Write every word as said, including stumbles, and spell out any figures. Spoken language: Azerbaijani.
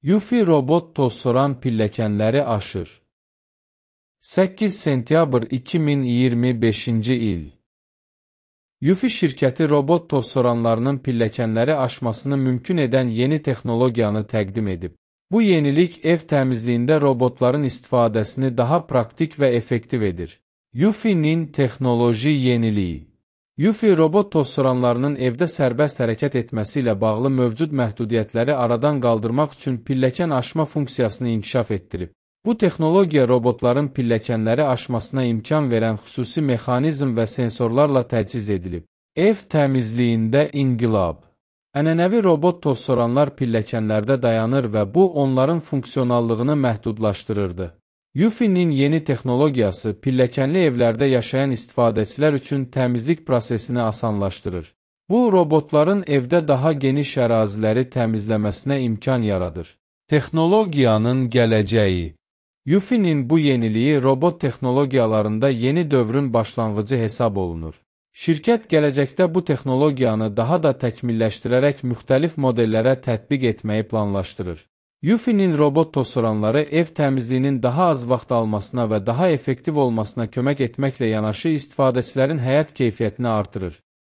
Yufi robot tozsoran pilləkənləri aşır. səkkiz sentyabr iki min iyirmi beşinci il. Yufi şirkəti robot tozsoranlarının pilləkənləri aşmasını mümkün edən yeni texnologiyanı təqdim edib. Bu yenilik ev təmizliyində robotların istifadəsini daha praktik və effektiv edir. Yufi'nin texnoloji yeniliyi. Yufi robot tozsoranlarının evdə sərbəst hərəkət etməsi ilə bağlı mövcud məhdudiyyətləri aradan qaldırmaq üçün pilləkən aşma funksiyasını inkişaf etdirib. Bu texnologiya robotların pilləkənləri aşmasına imkan verən xüsusi mexanizm və sensorlarla təchiz edilib. Ev təmizliyində inqilab. Ənənəvi robot tozsoranlar pilləkənlərdə dayanır və bu onların funksionallığını məhdudlaşdırırdı. Yufi'nin yeni texnologiyası pilləkənli evlərdə yaşayan istifadəçilər üçün təmizlik prosesini asanlaşdırır. Bu, robotların evdə daha geniş əraziləri təmizləməsinə imkan yaradır. Texnologiyanın gələcəyi. Yufi'nin bu yeniliyi robot texnologiyalarında yeni dövrün başlanğıcı hesab olunur. Şirkət gələcəkdə bu texnologiyanı daha da təkmilləşdirərək müxtəlif modellərə tətbiq etməyi planlaşdırır. Yufi'nin robot tozsoranları ev təmizliyinin daha az vaxt almasına və daha effektiv olmasına kömək etməklə yanaşı istifadəçilərin həyat keyfiyyətini artırır.